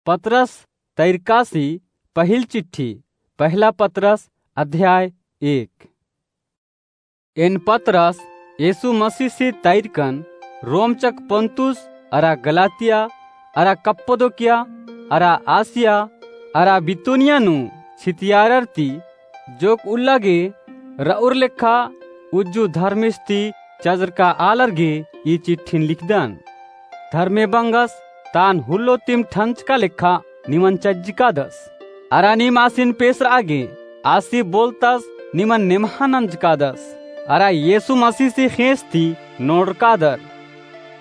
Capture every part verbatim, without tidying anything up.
पतरस तैरकासी पहिल चिट्ठी, पहला पतरस अध्याय एक। एन पतरस, यीशु मसीसी तैरकन, रोम चक पोन्तुस, अरा गलातिया, अरा कप्पदोकिया, अरा आसिया, अरा बितूनिया नू छितियारर ती, जोक उल्ला गे रउर लेखा उज्जु धर्मेस ती चजरका आलर गे ई चिट्ठिन लिखदन। धर्मे बंगस तान हुल्लो तिम ठंचका लेखा निमन चज्जकादस। अरा नीम आसिन पेसरआ गे आसी बोलतस निमन नेम्हा नंजकादस। अरा यीशु मसीसी ख़ेस ती नोड़रकादर।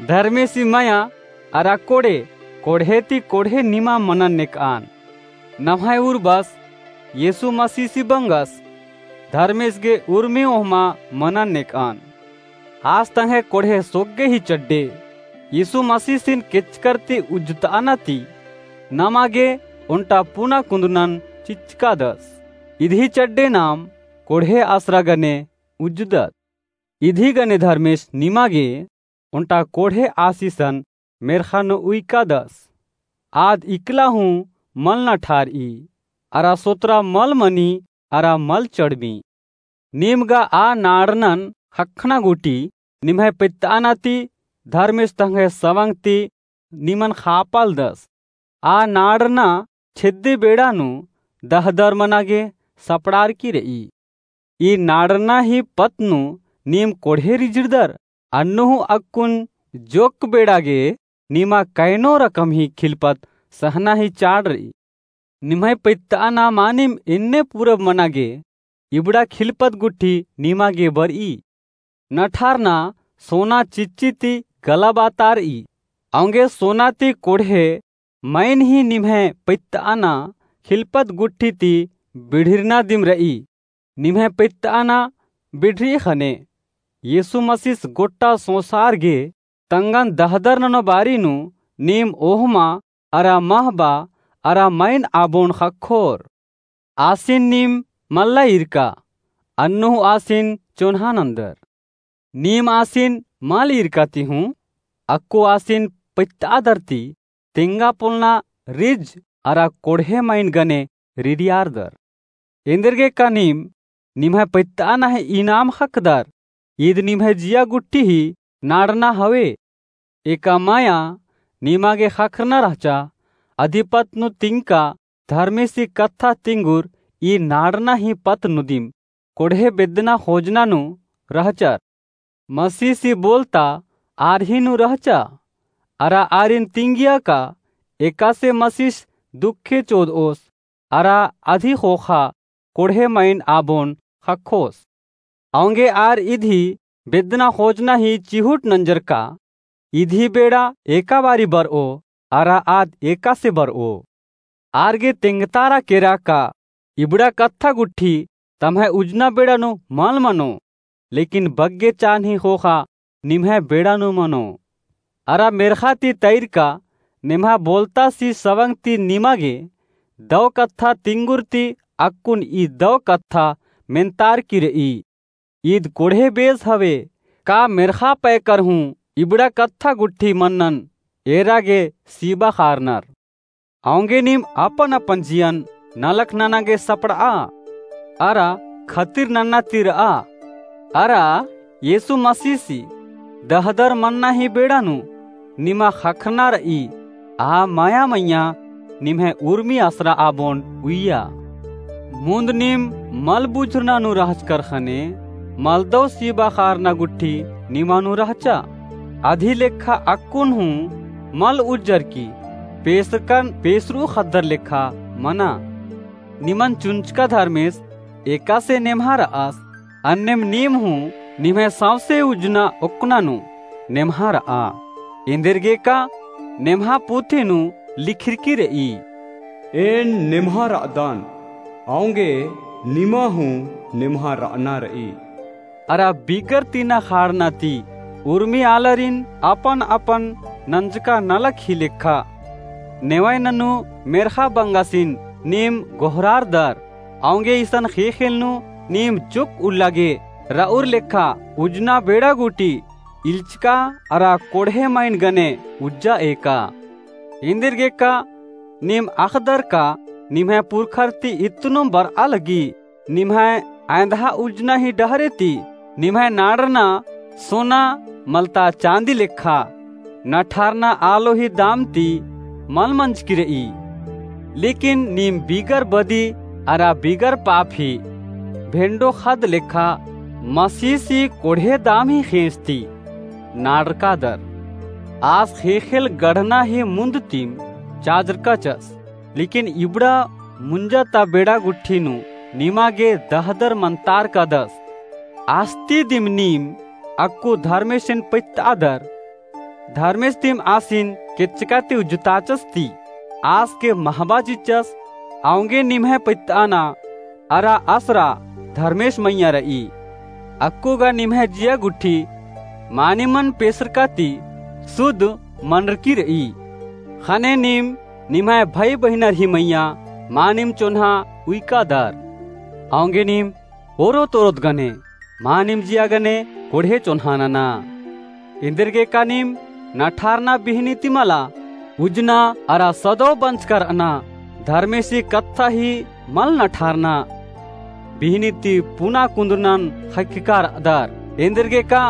धर्मेसी मया अरा कोड़े, कोड़हे ती कोड़हे निमा मनन नेकआन। नम्है उर्बस यीशु मसीसी बंगस धर्मेस गे उर्मी ओहमा मनन नेकआन। आस तंग्है कोड़हे सोग्गे ही चड्डे, यीशु मसीसिन केचकर ती उज्जतअना ती, नमा गे ओन्टा पुना कुन्दुनन चिच्चकादस। इदही चड्डे नाम कोड़हे आसरा गने उज्जदत। इदही गने धर्मेस निमा गे ओन्टा कोड़हे आसिसन मेर्ख़ा नू उइकादस। आद इकला हूँ मल नठारई, अरा सोतरा मल मनी, अरा मल चड़मी। नीम गा आ नाड़नन ख़क्खना गूटी निम्है पैत्तअना ती धर्मेस तंग्है सवंग ती निमन ख़ापालदस। आ नाड़ना छेद्दी बेड़ा नू दहदर मना गे सपड़ारकी रई। ई नाड़ना ही पत्त नू नीम कोड़हे रिझिड़दर, अन्नु हूँ अक्कुन जोक्क बेड़ा गे निमा कैनो रकम ही खिलपत सहना ही चाड़ रई। निम्है पैत्तअना मानिम एन्ने पूरब मना गे इबड़ा खिलपत गुट्ठी निमा गे बरई। नठारना सोना चिच्ची ती गलाबातारई। औंगे सोना ती कोड़हे मइन ही निम्है पैत्तअना खिलपत गुट्ठी ती बिढ़िरना दिम रई। निम्है पैत्तअना बिढ़री ख़ने यीशु मसीस गोट्टा सोंसार गे तंगन दहदर ननो बारी नू नीम ओहमा अरा महबा अरा मइन आबोन ख़क्खोर। आसिन नीम मल्ला ईरका, अन्नु हूँ आसिन चोन्हा नन्दर। नीम आसिन मल ईरका ती हूँ अक्कु आसिन पैत्तआदर ती तेंगा पोल्लना रिझ अरा कोड़हे मइन गने रिरियारदर। एन्देरगेका नीम निम्है पैत्तअना ही इनाम ख़क्खदर, ईद निम्है जिया गुट्ठी ही नाड़ना हवे। एका मया निमा गे ख़क्खरना रहचा, अदिपत नू तिंगका धर्मेसी कत्था तिंगुर ई नाड़ना ही पत्त नू दिम कोड़हे बेद्दना ख़ोजना नू रहचर। मसीसी बोलता आर ही नू रहचा, अरा आरिन तिंगिया का एकासे मसीस दुखे चोदओस, अरा अदी ख़ोख़ा कोड़हे मइन आबोन ख़क्खोस। औंगे आर इदी बेद्दना ख़ोजना ही चिहुट नंजरका, इदी बेड़ा एका बारी बरओ, अरा आद एकासे बरओ। आर गे तेंगतारा केरा का इबड़ा कत्था गुट्ठी तम्है उजना बेड़ा नू मल मनो, लेकिन बग्गे चान्ही ख़ोख़ा निम्है बेड़ा नू मनो। अरा मेर्ख़ा ती तैरका नेम्हा बोलतासी सवंग ती निमा गे दौ कत्था तिंगुर ती अक्कुन ई दौ कत्था मेन्तारकी रई। ईद कोड़हे बेस हवे, का मेर्ख़ा पैकर हूँ इबड़ा कत्था गुट्ठी मन्नन एरा गे सीबा ख़ारनर। औंगे नीम अपन अपन जियन नलख नना गे सपड़आ, अरा खतिर नन्ना ती रआ, अरा यीशु मसीसी दहदर मन्ना ही बेड़ा नू निमा ख़क्खरना रई, आ मया मइय्याँ निम्है उर्मी आसरा आबोन उइया। मुन्द नीम मल बुझुरना नू रहचकर ख़ने मलदौ सीबा ख़ारना गुट्ठी निमा नू रहचा। अदी लेखा अक्कुन हूँ मल उज्जरकी, पेसरकन पेसरू ख़द्दर लेखा मना। निमन चुंचका धर्मेस एकासे नेम्हा रअस, अन्नेम नीम हूँ निम्है सौंसे उजना ओक्कना नू नेम्हा रआ। एन्देरगेका नेम्हा पुथी नू लिखिरकी रई, एन नेम्हा रअदन, औंगे निमा हूँ नेम्हा रअना रई। अरा बिगर तिना ख़ारना ती उर्मी आलारिन अपन अपन नंजका नलख ही लेखा। नेवै ननू मेर्ख़ा बंगासिन नीम गोहरारदर, औंगे इसन ख़ेख़ेल नू नीम जोक्क उल्ला गे रउर लेखा उजना बेड़ा गूटी इल्चका अरा कोड़हे मइन गने उज्जा एका। एन्देरगेका नीम अख़दर का निम्है पुरखर ती इत्तनुम बरआ लगी। निम्है अँयदहा उज्जना ही डहरे ती निम्है नाड़रना सोना मलता चाँदी लेखा नठारना आलो ही दाम ती मल मंजकी रई। लेकिन नीम बिगर बदी अरा बिगर पाप ही भेंडो ख़द्द लेखा मसीसी कोड़हे दाम ही ख़ेंस ती नाड़रकादर। आस ख़ेख़ेल गढ़ना ही मुन्द तिम चाजरकाचस। लेकिन इबड़ा मुंजा ता बेड़ा गुट्ठी नू निमा गे दहदर मन्तारकादस। आस्ती दिम नीम अक्कु धर्मेसिन पैत्तआदर। धर्मेस तिम आसिन केच्चका ती उज्जताचस ती आस गे महबा चिच्चस। औंगे निम्है पैत्तआना अरा असरा धर्मेस मइय्याँ रई। अक्कु गा निम्है जिया गुट्ठी मानिमन पेसरका ती सुद्ध मनरकी रई। ख़ने नीम निम्है भई बहिनर ही मइय्याँ मानिम चोन्हा उइकादर। औंगे नीम ओरोत ओरोत गने मानिम जिया गने कोड़हे चोन्हा नना। एन्देरगेका नीम नठारना बिहनी ती मला उज्जना अरा सदौ बंचका रअना धर्मेसी कत्था ही मल नठारना। बिहनी ती पुना कुन्दुरनन ख़क्खका रअदर। एन्देरगेका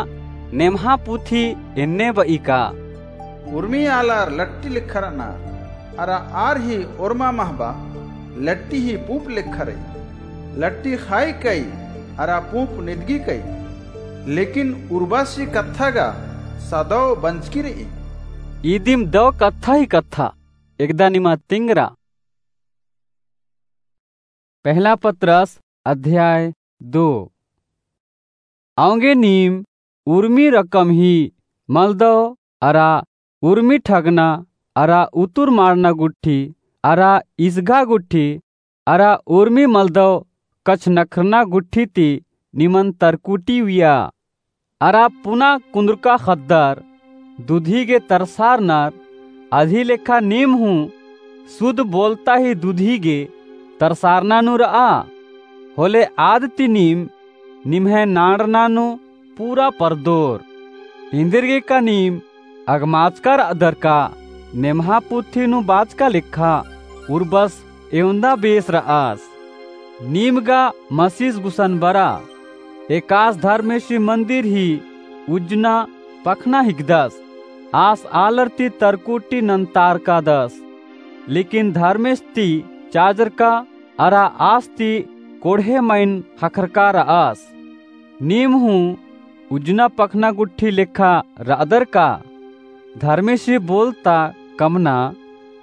नेम्हा पुथी एन्ने बई का। उर्मी आलर लट्टी लेखा रअनर, अरा आर ही ओर्मा महबा लट्टी ही पूँप लेखा रई। लट्टी ख़ाई कई, अरा पूँप निदगी कई, लेकिन उर्बासी कत्था गा सदौ बंचकी रई। इदिम दौ कत्था ही कत्था, एकदा निमा तिंगरा। पहला पतरस अध्याय दो। औंगे नीम उर्मी रकम ही मलदौ अरा उर्मी ठगना अरा उतुर माड़ना गुट्ठी अरा इसघा गुट्ठी अरा उर्मी मलदौ कछनखरना गुट्ठी ती निमन तरकुटी उइया। अरा पुना कुन्दुरका ख़द्दर दुधी गे तरसारनर, अदी लेखा नीम हूँ सुध बोलता ही दुधी गे तरसारना नू रआ। होले आद ती नीम निम्है नाड़रना नू पूरा परदोर। एन्देरगेका नीम अगमाचका रअदर का नेम्हा पुथी नू बाचका लेखा उर्बस एवंदा बेस रअस। नीम गा मसीस गुसन बरा। एकास धर्मेसी मन्दिर ही उज्जना पखना हिकदस। आस आलर ती तरकुटी नन्तारकादस। लेकिन धर्मेस ती चाजरका अरा आस ती कोड़हे मइन ख़क्खरका रअस। नीम हूँ उज्जना पखना गुट्ठी लेखा रअदर का? धर्मेसी बोलता कमना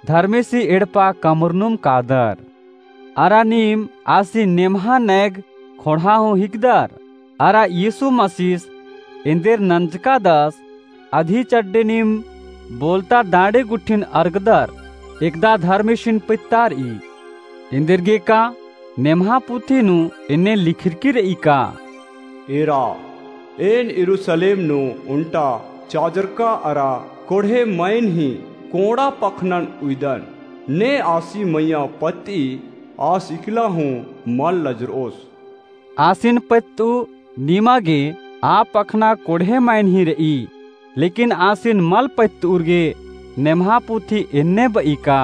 धर्मेसी एड़पा कमरनुम कादर। अरा नीम आसी नेम्हा नैग ख़ोंड़हा हूँ हिकदर। अरा यीशु मसीस एन्देर नंजकादस अदी चड्डे नीम बोलता डाँड़े गुट्ठिन अरगदर, एकदा धर्मेसिन पैत्तारई। एन्देरगेका नेम्हा पुथी नू एन्ने लिखरकी रई का? एरा, एन यरूसलेम नू ओन्टा चाजरका अरा कोड़हे मइन ही कोंड़ा पखनन उइदन। ने आसी मइय्याँ पत्तई, आस इकला हूँ मल लजरओस। आसिन पैत्तऊ निमा गे आ पखना कोड़हे मइन ही रई, लेकिन आसिन मल पैत्तऊर गे नेम्हा पुथी एन्ने बई का?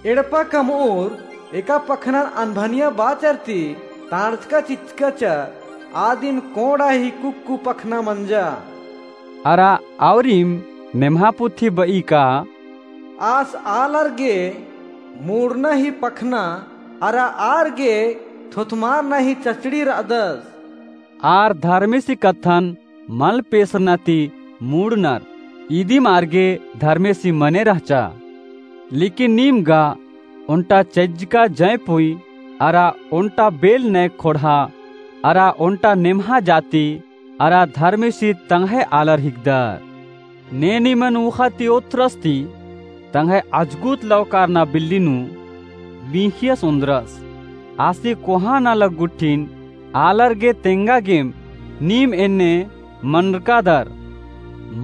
एड़पा कमऊर एका पखनन अनभनिया बाचर ती ताड़चका चिच्चका चा, आदिम कोंड़ा ही कुक्कु पखना मंजा। अरा आउरिम नेम्हा पुथी बई का? आस आलर गे मूड़ना ही पखना अरा आर गे थोथमारना ही चचड़ी रअदस। आर धर्मेसी कत्थन मल पेसरना ती मूड़नर, इदिम आर गे धर्मेसी मने रहचा। लेकिन नीम गा ओन्टा चज्जका जैपुई अरा ओन्टा बेल नैग ख़ोंड़हा अरा ओन्टा नेम्हा जाति अरा धर्मेसी तंग्है आलर हिकदर। ने निमन ऊख़ा ती ओथ्रस ती तंग्है अजगुत लवकारना बिल्ली नू बींखियस ओन्द्रस। आसी कोहा नलख गुट्ठिन आलर गे तेंगा गेम नीम एन्ने मनरकादर।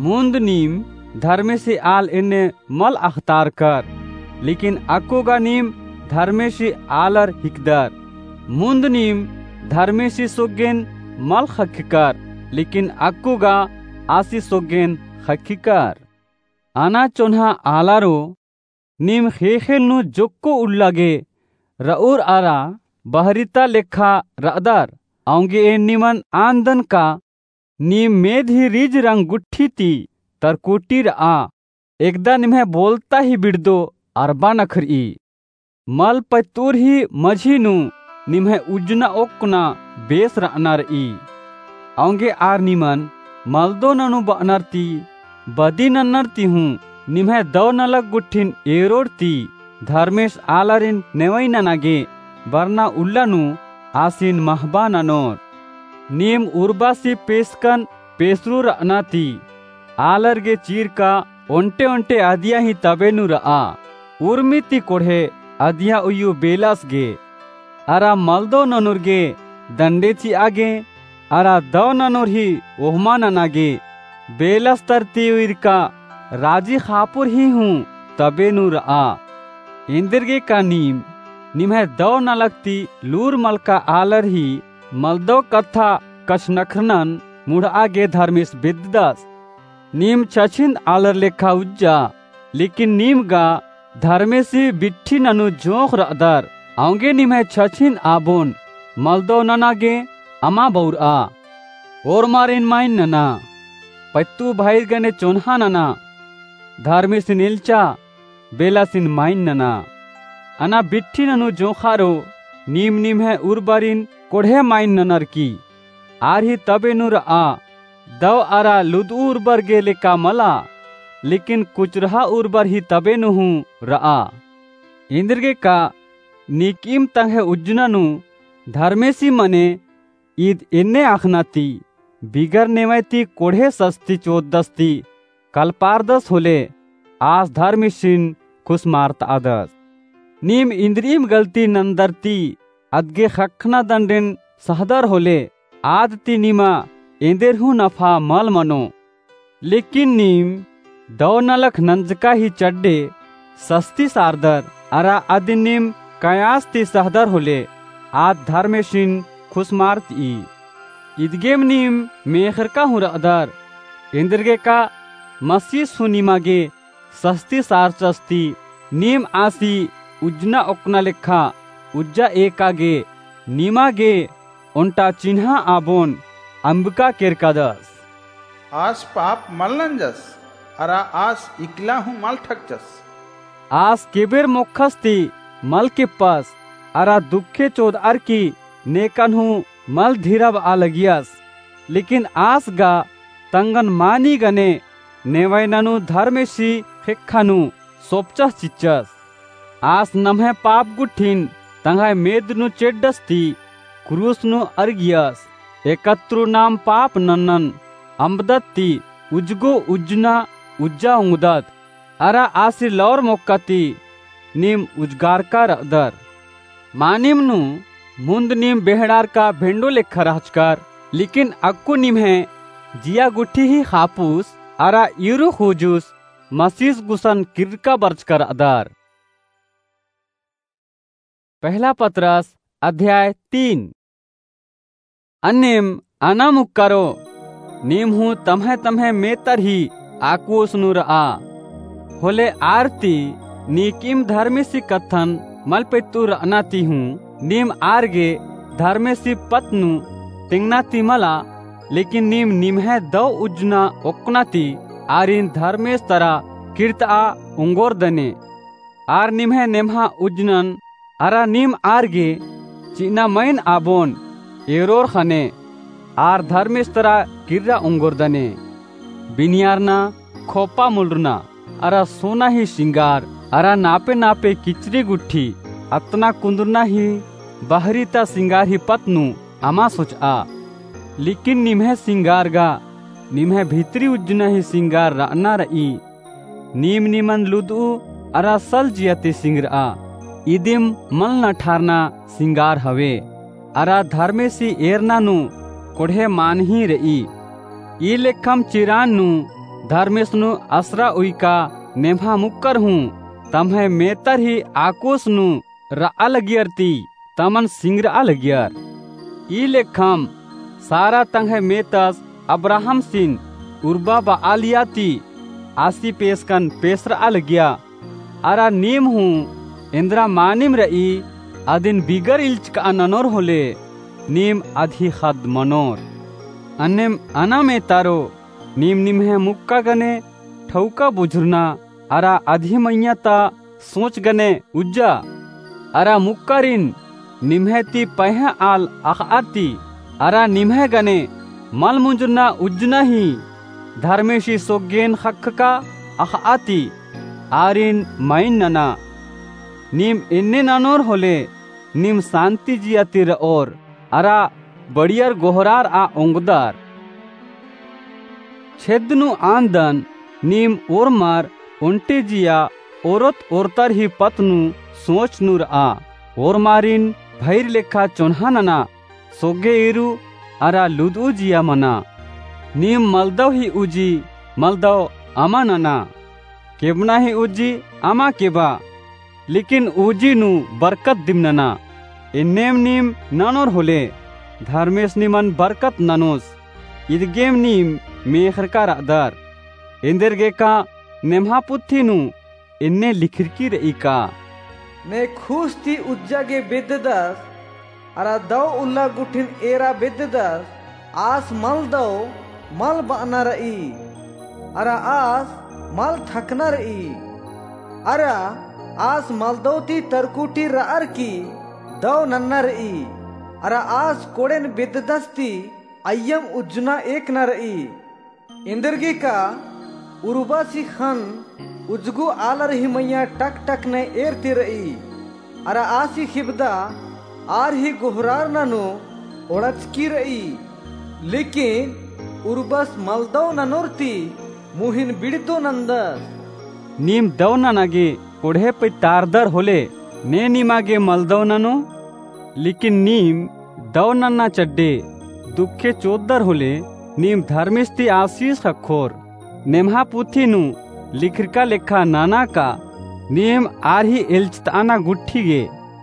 मुन्द नीम धर्मेसी आल एन्ने मल अख़तारकर, लेकिन अक्कु गा नीम धर्मेसी आलर हिकदर। मुन्द नीम धर्मेसी सोग्गेन मल ख़क्खकर, लेकिन अक्कु गा आसी सोग्गेन ख़क्खकर। अना चोन्हा आलारो, नीम ख़ेख़ेल नू जोक्को उल्ला गे र'ऊर अरा बहरिता लेखा र'अदर। औंगे एन निमन आन्दन का नीम मेद ही रिज रंग गुट्ठी ती तरकोटी र'आ। एकदा निम्है बोलता ही बिड़दो अरबा नखर'ई। मल पैत्तूर ही मझी नू निम्है उज्जना ओक्कना बेस र'अना र'ई। औंगे आर निमन मलदो ननू ब'अनर ती बदी नन्नर ती हूँ निम्है दौ नलख गुट्ठिन एरोर ती धर्मेस आलारिन नेवई नना गे बरना उल्ला नू आसिन महबा ननोर। नीम उर्बासी पेसकन पेसरू र'अना ती आलर गे चीरका ओन्टे ओन्टे अदिया ही तबे नू र'आ। उर्मी ती कोड़हे अदिया उइयु बेलस गे अरा मलदो ननुर गे दंडे चि'आ गे अरा दौ ननुर ही ओहमा नना गे बेलस तरती उइरका राजी ख़ापुर ही हूँ तबे नू र'आ। एन्देरगेका नीम निम्है दौ नलख ती लूर मलका आलर ही मलदौ कत्था कछनखरनन मुड़'आ गे धर्मेस बेद्ददस। नीम छछिन्द आलर लेखा उज्जा, लेकिन नीम गा धर्मेसी बिट्ठी ननू जोंख़ र'अदर। औंगे निम्है छछिन्द आबोन मलदौ नना गे अमा बौर'आ। ओर्मारिन माइन नना, पैत्तू भाईर गने चोन्हा नना, धर्मेसिन एल्चा, बेलासिन माइन नना। अना बिट्ठी ननू जोंख़ारो नीम निम्है उर्बारिन कोड़हे माइन ननर की आर ही तबे नू र'आ। दौ अरा लुद'ऊ उर्बर गे लेका मला, लेकिन कुचरहा उर्बर ही तबे नू हूँ र'आ। एन्देरगेका नीकिम तंग्है उज्जना नू धर्मेसी मने ईद एन्ने अख़ना ती बिगर नेवय ती कोड़हे सस्ती चोद्दस ती कलपारदस होले आस धर्मेसिन खुसमारत'अदस। नीम इन्द्रिइम गलती नन्दर ती अदगे ख़क्खना दंडेन सहदर होले आद ती निमा एन्देर हूँ नफा मल मनो। लेकिन नीम दौ नलख नंजका ही चड्डे सस्ती सारदर अरा अदिन नीम कयास ती सहदर होले आद धर्मेसिन खुसमारत'ई। इदगेम नीम मेख़रका हूँ र'अदर। एन्देरगेका मसीस हूँ निमा गे सस्ती सारचस ती नीम आसी उज्जना ओक्कना लेखा उज्जा एका गे निमा गे ओन्टा चिन्हा आबोन अम्बका केरकादस। आस पाप मल नंजस, अरा आस इकला हूँ मल ठकचस। आस केबेर मोक्खस ती मल किप्पस, अरा दुखे चोद'अर की नेकन हूँ मल धिरब'आ लगियस। लेकिन आस गा तंगन मानी गने नेवय ननू धर्मेसी ख़ेक्खा नू सोपचस चिच्चस। आस नम्है पाप गुट्ठिन तंग्है मेद नू चेड्डस ती क्रूस नू अरगियस। एकत्रू नाम पाप नन्नन अम्बदत ती उज्जगो उज्जना उज्जा ओंगदत। अरा आसी लौर मोक्का ती नीम उज्जगारका र'अदर। मानिम नू मुन्द नीम बेहड़ारका भेंडो लेखा रहचकर, लेकिन अक्कु निम्है जिया गुट्ठी ही ख़ापुस अरा ईरू ख़ूजुस मसीस गुसन किर्रका बरचका र'अदर। पहला पतरस अध्याय तीन। अन्नेम अना मुक्कारो, नीम हूँ तम्है तम्है मेतर ही आकुस नू र'आ। होले आर ती नीकिम धर्मेसी कत्थन मल पेत्तू र'अना ती हूँ नीम आर गे धर्मेसी पत्त नू तेंगना ती मला, लेकिन नीम निम्है दौ उज्जना ओक्कना ती आरिन धर्मेस तरा किर्त'आ ओंगोर दने। आर निम्है नेम्हा उज्जनन अरा नीम आर गे चि'अना मइन आबोन एरोर ख़ने आर धर्मेस तरा किर्रा ओंगोर दने। बिनियारना, खोपा मुलरना अरा सोना ही सिंगार अरा नापे नापे किचरी गुट्ठी अतना कुन्दुरना ही बहरी ता सिंगार ही पत्त नू अमा सोच'आ। लेकिन निम्है सिंगार गा निम्है भितरी उज्जना ही सिंगार र'अना र'ई। नीम निमन लुद'ऊ अरा सल जिया ती सिंगर'आ। इदिम मल नठारना सिंगार हवे। अरा धर्मेसी एरना नू कोड़हे मान ही र'ई। ई लेखम चिरान नू धर्मेस नू असरा उइका नेम्हा मुक्कर हूँ तम्है मेतर ही आकुस नू र'आ लगियर ती तमन सिंगर'आ लगियर। ई लेखम सारा तंग्है मेतस अब्राहमसिन उर्बा ब'आलिया ती आसी पेसकन पेसर'आ लगिया। अरा नीम हूँ एन्दरा मानिम र'ई, अदिन बिगर इल्चक'आ ननोर होले, नीम अदही ख़द्द मनोर। अन्नेम अना मेतारो, नीम निम्है मुक्का गने ठौका बुझुरना, अरा अदही मइय्याँ ता सोच गने उज्जा। अरा मुक्कारिन निम्है ती पहें आल अख़'आ ती, अरा निम्है गने मल मुंजुरना उज्जना ही धर्मेसी सोग्गेन ख़क्खका अख़'आ ती, आरिन मइन नना। नीम एन्ने ननोर होले, नीम सान्ति जिया ती र'ओर, अरा बड़ियर गोहरार'आ ओंगदर। छेद्द नू आन्दन नीम ओर्मर ओन्टे जिया ओरोत ओर्तर ही पत्त नू सोच नू र'आ। ओर्मारिन भइर लेखा चोन्हा नना, सोग्गे ईरू अरा लुद'ऊ जिया मना। नीम मलदव ही उजी मलदव अमा नना, केबना ही उजी अमा केबा। लेकिन उजी नू बरकत दिम नना। एन्नेम नीम ननोर होले, धर्मेस निमन बरकत ननोस। इदगेम नीम मेख़रका र'अदर। एन्देरगेका नेम्हा पुथी नू एन्ने लिखरकी र'ई का। ने खूस ती उज्जा गे बेद्ददस, अरा दव उल्ला गुट्ठिन एरा बेद्ददस, आस मलदव मल ब'अना र'ई, अरा आस मल थकना र'ई, अरा आस मलदव ती तरकुटी र'अर की दव नन्ना र'ई, अरा आस कोड़ेन बेद्ददस ती अइय्यम उज्जना एकना र'ई। एन्देरगेका उर्बस ही ख़न्न उज्जगो आलर ही मइय्याँ टक टक ने एर ती र'ई। अरा आसी ख़िबदा आर ही गोहरारना नू ओड़चकी र'ई। लेकिन उर्बस मलदव ननोर ती मुहिन बिड़दो नन्दस। नीम दव नना गे कोड़हे पइतारदर होले, ने निमा गे मलदव ननो। लेकिन नीम दव नन्ना चड्डे दुखे चोददर होले, नीम धर्मेस ती आसीस ख़क्खोर। नेम्हा पुथी नू लिखरका लेखा नना का, नीम आर ही एल्चत'अना गुट्ठी गे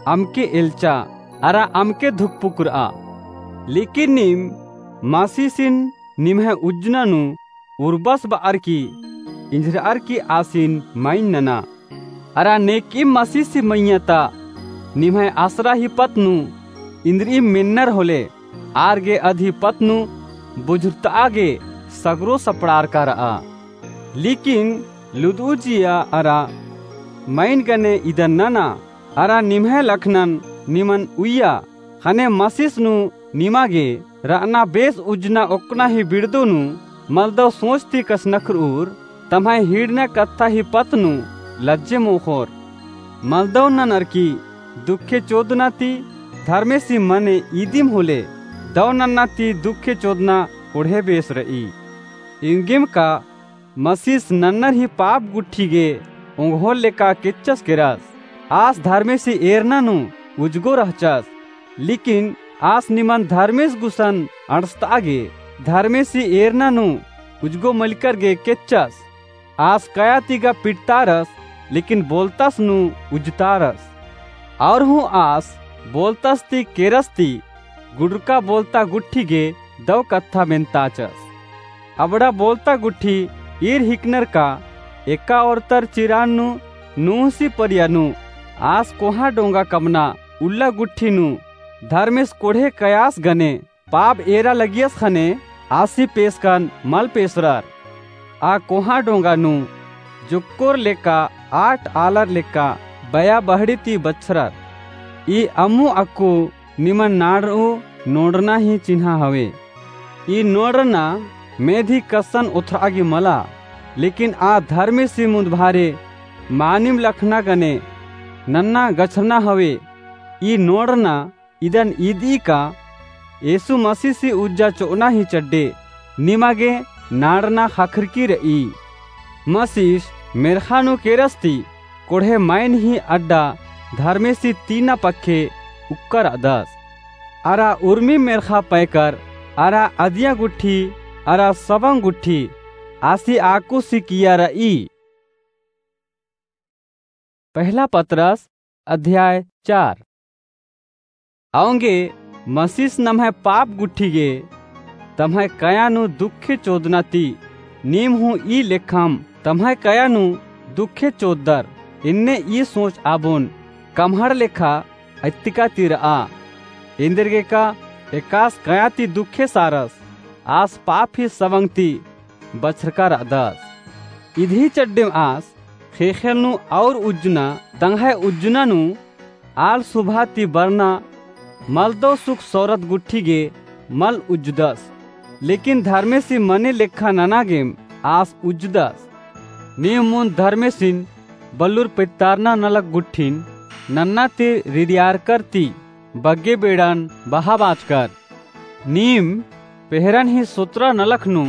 अमके एल्चा, अरा अमके धुकपुकुर'आ। लेकिन नीम मसीसिन निम्है उज्जना नू उर्बस ब'अर की इंझर'अर की आसिन मइन नना। अरा नेकइम मसीसी मइय्याँ ता निम्है असरा ही पत्त नू इन्द्रिइम मेन्नर होले, आर गे अदही पत्त नू बुझुरत'आ गे सगरो सपड़ारका र'आ। लेकिन लुद'ऊ जिया अरा मइन गने इदन नना, अरा निम्है लखनन निमन उइया, ख़ने मसीस नू निमा गे र'अना बेस उज्जना ओक्कना ही बिड़दो नू मलदव सोच ती कछनखर'उर, तम्है हीड़ना कत्था ही पत्त नू लज्जे मोख़ोर। मलदव ननर की दुखे चोदना ती धर्मेसी मने इदिम होले, दव नन्ना ती दुखे चोदना कोड़हे बेस र'ई। एंगेम का मसीस नन्नर ही पाप गुट्ठी गे ओंगोर लेका केच्चस केरस। आस धर्मेसी एरना नू उज्जगो रहचस, लेकिन आस निमन धर्मेस गुसन अंड़सत'आ गे धर्मेसी एरना नू उज्जगो मलिकर गे केच्चस। आस कया ती गा पिटतारस, लेकिन बोलतस नू उज्जतारस। और हूँ आस बोलतस ती केरस ती गुड़रका बोलता गुट्ठी गे दव कत्था मेन्ताचस। अबड़ा बोलता गुट्ठी ईर हिकनर का एका ओर्तर चिरान नू नूहसी परिया नू आस कोहाँ डोंगा कमना उल्ला गुट्ठी नू धर्मेस कोड़हे कयास गने पाप एरा लगियस ख़ने आसी पेसकन मल पेसरर। आ कोहाँ डोंगा नू जोक्कोर लेका आठ आलर लेका बया बहड़ी ती बछरर। ई अम्मु अक्कु निमन नाड़र'ऊ नोड़रना ही चिन्हा हवे। ई नोड़रना मेधी कस्सन ओथर'आ गे मला, लेकिन आ धर्मेसी मुन्दभारे मानिम लखना गने नन्ना गछरना हवे। ई नोड़रना इदन इदी का येसु मसीसी उज्जा चो'अना ही चड्डे निमा गे नाड़रना ख़खरकी र'ई। मसीस मेर्ख़ा नू केरस ती कोड़हे मइन ही अड्डा धर्मेसी तीना पक्खे उक्का र'अदस। अरा उर्मी मेर्ख़ा पैकर अरा अदिया गुट्ठी अरा सबंग गुट्ठी आसी आकुसी किया र'ई। पहला पतरस अध्याय चार। औंगे मसीस नम्है पाप गुट्ठी गे तम्है कया नू दुखे चोदना ती नीम हूँ ई लेखम तम्है कया नू दुखे चोददर। एन्ने ई सोच आबोन कम्हड़ लेखा अत्तिका ती र'आ। एन्देरगेका एकास कया ती दुखे सारस, आस पाप ही सवंग ती बछरका र'अदस। इदही चड्डेम आस ख़ेख़ेल नू और उज्जना, तंग्है उज्जना नू आल सुभा ती बरना मलदव सुख सौरत गुट्ठी गे मल उज्जदस। लेकिन धर्मेसी मने लेखा नना गेम आस उज्जदस। नीम मुन्द धर्मेसिन बल्लुर पित्तारना नलख गुट्ठिन नन्ना ती रिरियारकर ती बग्गे बेड़ान बहा बाचकर। नीम पेहरन ही सोतरा नलख नू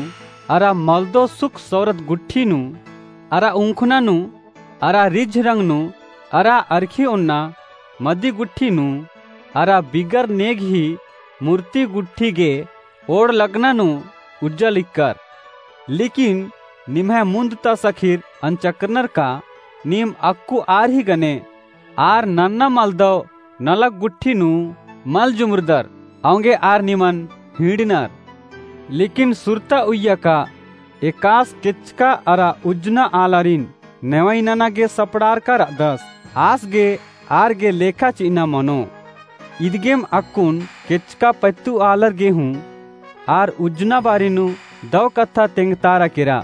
अरा मलदव सुख सौरत गुट्ठी नू अरा उंखना नू अरा रिझ रंग नू अरा अरखी ओन्ना मदी गुट्ठी नू अरा बिगर नेग ही मूर्ति गुट्ठी गे ओड़ लगना नू उज्जा लिक्कर। लेकिन निम्है मुन्द ता सखीर अंचकरनर का नीम अक्कु आर ही गने आर नन्ना मलदव नलख गुट्ठी नू मल जुमरदर, औंगे आर निमन हिंड़नर। लेकिन सुरता उइय्या का एकास केचका अरा उज्जना आलारिन नेवई नना गे सपड़ारका र'अदस, आस गे आर गे लेखा चि'अना मनो। इदगेम अक्कुन केचका पत्तु आलर गे हूँ आर उज्जना बारी नू दव कत्था तेंगतारा केरा।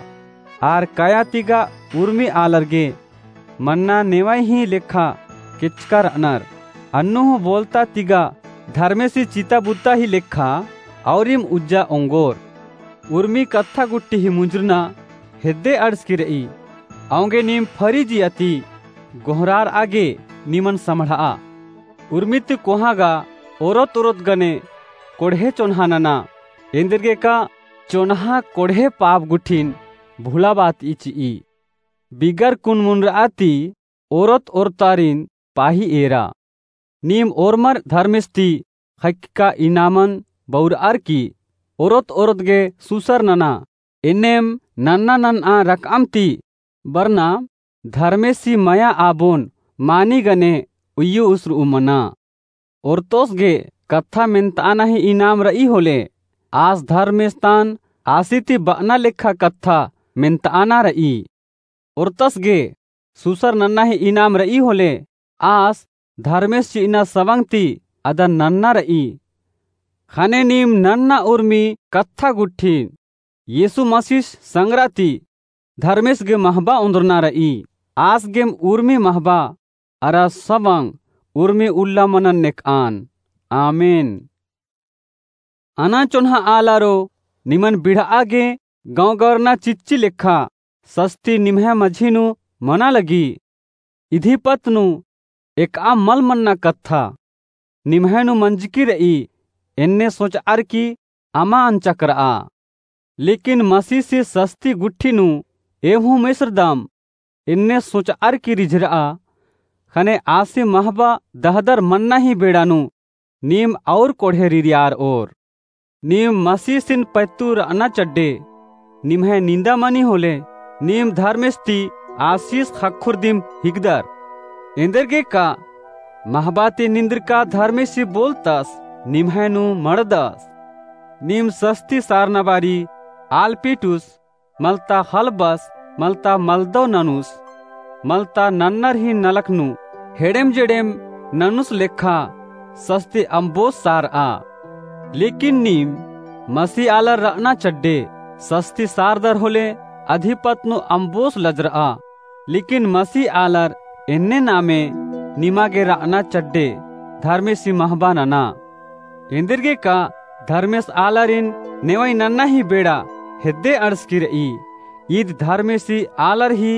आर कया तिगा उर्मी आलर गे मन्ना नेवई ही लेखा केचका र'अनर। अन्नु हूँ बोलता तिगा धर्मेसी चिता बुता ही लेखा औरिम उज्जा ओंगोर। उर्मी कत्था गुट्ठी ही मुंजरना हेद्दे अंड़सकी र'ई। औंगे नीम फरी जिया ती गोहरार'आ गे निमन सम्हड़'आ। उर्मी ती कोहाँ गा ओरोत ओरोत गने कोड़हे चोन्हा नना। एन्देरगेका चोन्हा कोड़हे पाप गुट्ठिन भुलाबात चि'ई। बिगर कुन मुनर'आ ती ओरोत ओरोतारिन पाही एरा। नीम ओर्मर धर्मेस ती ख़क्खका इनामन बउर'अर की ओरोत ओरोत गे सुसर नना। एन्नेम नन्ना नन्ना रकम ती बरना धर्मेसी मया आबोन मानी गने उइय्यु उसर'ऊ मना। ओरतोस गे कत्था मेन्त'अना ही इनाम र'ई होले आस धर्मेस तान आसी ती ब'अना लेखा कत्था मेन्त'अना र'ई। ओरतस गे सुसर नन्ना ही इनाम र'ई होले आस धर्मेस चि'अना सवंग ती अदन नन्ना र'ई। ख़ने नीम नन्ना उर्मी कत्था गुट्ठिन येसु मसीस संगरा ती धर्मेस गे महबा ओन्द्रना र'ई। आस गेम उर्मी महबा अरा सवंग उर्मी उल्ला मनन नेक'अन। आमेन। अना चोन्हा आलारो, निमन बिड़'आ गे गौंगरना चिच्ची लेखा सस्ती निम्है मझी नू मना लगी। इदिपत नू एक'आ मल मन्ना कत्था निम्है नू मंजकी र'ई एन्ने सोच'अर की अमा अंचकर'आ। लेकिन मसीसी सस्ती गुट्ठी नू एम्हु मेसरदम एन्ने सोच'अर की रिझर'आ। ख़ने आसी महबा दहदर मन्ना ही बेड़ा नू नीम और कोड़हे रिरियार'ओर। नीम मसीसिन पैत्तु र'अना चड्डे निम्है निन्दा मनी होले नीम धर्मेस ती आसीस ख़क्खुर दिम हिकदर। एन्देरगेका महबा ती निंद्रका धर्मेसी बोलतस निम्है नू मड़दस। नीम सस्ती सारना बारी आलपिटुस मलता ख़लबस, मलता मलदव ननुस, मलता नन्नर ही नलख नू हेड़ेम जेड़ेम ननुस लेखा सस्ती अम्बोस सार'आ। लेकिन नीम मसी आलर र'अना चड्डे सस्ती सारदर होले अधिपत नू अम्बोस लजर'आ। लेकिन मसी आलर एन्ने नामे निमा गे र'अना चड्डे धर्मेसी महबा नना। एन्देरगेका धर्मेस आलारिन नेवई नन्ना ही बेड़ा हेद्दे अंड़सकी र'ई। ईद धर्मेसी आलर ही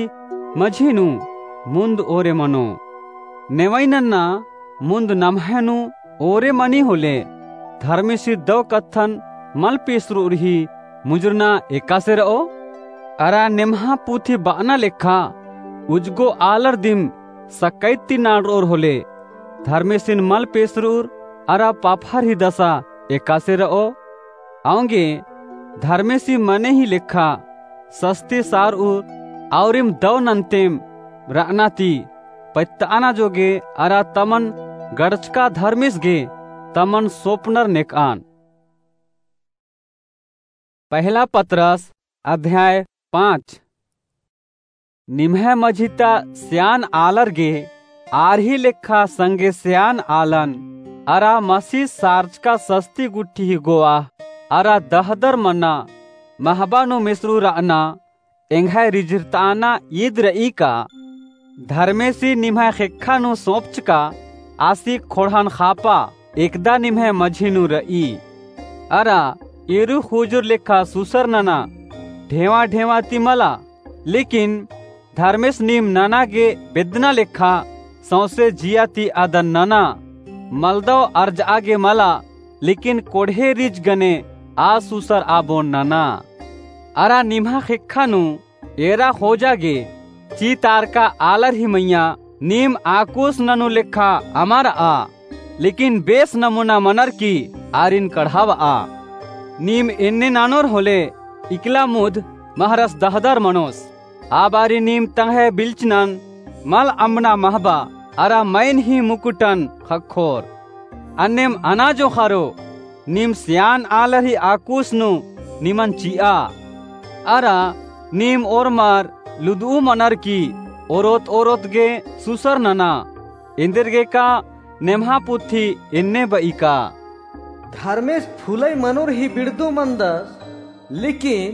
मझी नू मुन्द ओरे मनो। नेवई नन्ना मुन्द नम्है नू ओरे मनी होले धर्मेसी दव कत्थन मल पेसर'ओर ही मुंजरना एकासे र'ओ? अरा नेम्हा पुथी ब'अना लेखा उजगो आलर दिम सकैत ती नाड़र'ओर होले धर्मेसिन मल पेसर'ओर अरा पाफर ही दसा एकासे र'ओ? औंगे धर्मेसी मने ही लेखा सस्ती सार'ओर औरिम दव नन्तेम र'अना ती पैत्त'अना जोगे अरा तमन गड़चका धर्मेस गे तमन सोपनर नेक'अन। पहला पतरस अध्याय पाँच। निम्है मझी ता स्यान आलर गे आर ही लेखा संगे स्यान आलन, अरा मसीस सारचका सस्ती गुट्ठी ही गोवाह, अरा दहदर मना महबा नू मिसरू रअना एंग्है रिझिरताना ईद रई का? धर्मेसी निम्है ख़ेक्खा नू सौंपचका आसी ख़ोंड़हन ख़ापा एकदा निम्है मझी नू रई। अरा एरू ख़ुजुर लेखा सुसर नना ढेंवा ढेंवा ती मला, लेकिन धर्मेस नीम नना गे बेद्दना लेखा सौंसे जिया ती अदन नना। मलदव अर्जआ गे मला, लेकिन कोड़हे रिझ गने आ सुसर आबोन नना। अरा निम्है ख़ेक्खा नू एरा ख़ोजा गे चीतारका आलर ही मइय्याँ नीम आकुस ननू लेखा अमा रआ, लेकिन बेस नमूना मनर की आरिन कढ़ाबआ। नीम एन्ने ननोर होले इकला मुद महरस दहदर मनोस। आ बारी नीम तंग्है बिल्चनन मल अम्बना महबा, अरा मइन ही मुकुटन ख़क्खोर। अन्नेम अना जोंख़रो, नीम स्यान आलर ही आकुस नू निमन चिआ। अरा नीम ओर्मर लुदुउ मनर की ओरोत ओरोत गे सुसर नना, एन्देरगेका नेम्हा पुथी एन्ने बई का, धर्मेस फुलई मनोर ही बिड़दो मनदस, लेकिन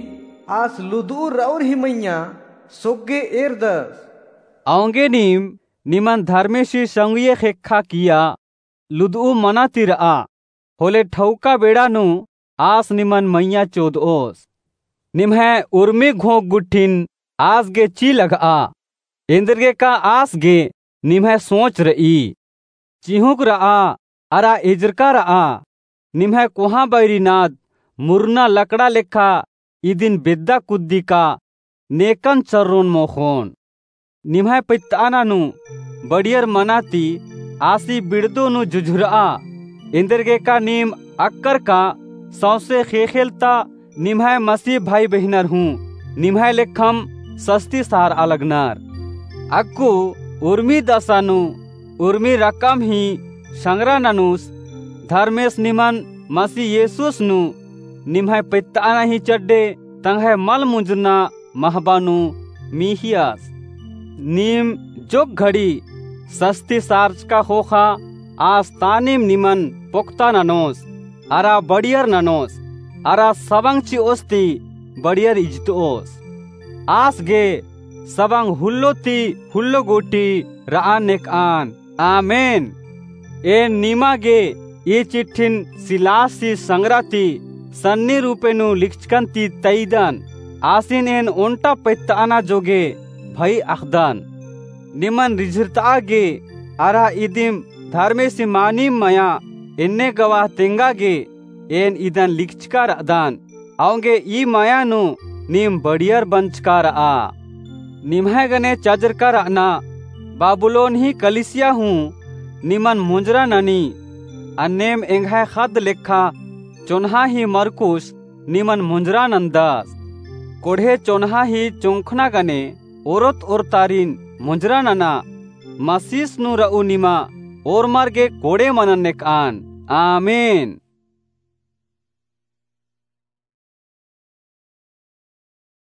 आस लुदुउ रऊर ही मइय्याँ सोग्गे एरदस। औंगे नीम निमन धर्मेसी संगिये ख़ेक्खा किया लुदुउ मना ती रआ, होले ठौका बेड़ा नू आस निमन मइय्याँ चोदओस। निम्है उर्मी घोंक गुट्ठिन आस गे ची लग्गआ, एन्देरगेका आस गे निम्है सोच रई। चिहुँक रआ, अरा एजरका रआ, निम्है कोहाँ बैरिनाद मुरना लकड़ा लेखा इदिन बेद्दा कुद्दी का नेकन चर्रोन मोख़ोन। निम्है पैत्तअना नू बड़ियर मना ती आसी बिड़दो नू झुझुरआ, एन्देरगेका नीम अक्कर का सौंसे ख़ेख़ेल ता निम्है मसीह भाई बहिनर हूँ निम्है लेखम सस्ती सारआ लगनर। अक्कु उर्मी दसा नू उर्मी रकम ही संग्रा ननुस, धर्मेस निमन मसीह येसुस नू निम्है पैत्तअना ही चड्डे तंग्है मल मुंजरना महबा नू मिहियस। नीम जोक घड़ी सस्ती सारचका ख़ोख़ा आस तानिम निमन पोक्ता ननोस, अरा बड़ियर ननोस, अरा सबंग चिओस ती बड़ियर इजतओस। आस गे सबंग हुल्लो ती हुल्लो गूटी रआ नेकआन। आमेन। एन निमा गे ई चिट्ठिन सिलासी संग्रा ती सन्नी रूपे नू लिखचकन ती तइदन, आसिन एन ओन्टा पैत्तअना जोगे भई अख़दन। निमन रिझिरतआ गे अरा इदिम धर्मेसी मानिम मया एन्ने गवाह तेंगा गे एन इदन लिखचका रअदन। औंगे ई मया नू नीम बड़ियर बंचका रआ। निम्है गने चजरका रअना बाबुलोन ही कलिसिया हूँ निमन मुंजरा ननी। अन्नेम एंग्है ख़द्द लेखा चोन्हा ही मरकुस निमन मुंजरा नन्दस। कोड़हे चोन्हा ही चोंखना गने ओरोत ओरतारिन मुंजरा नना। मसीस नू रऊ निमा ओर्मर गे कोड़े मनन नेकआन। आमेन।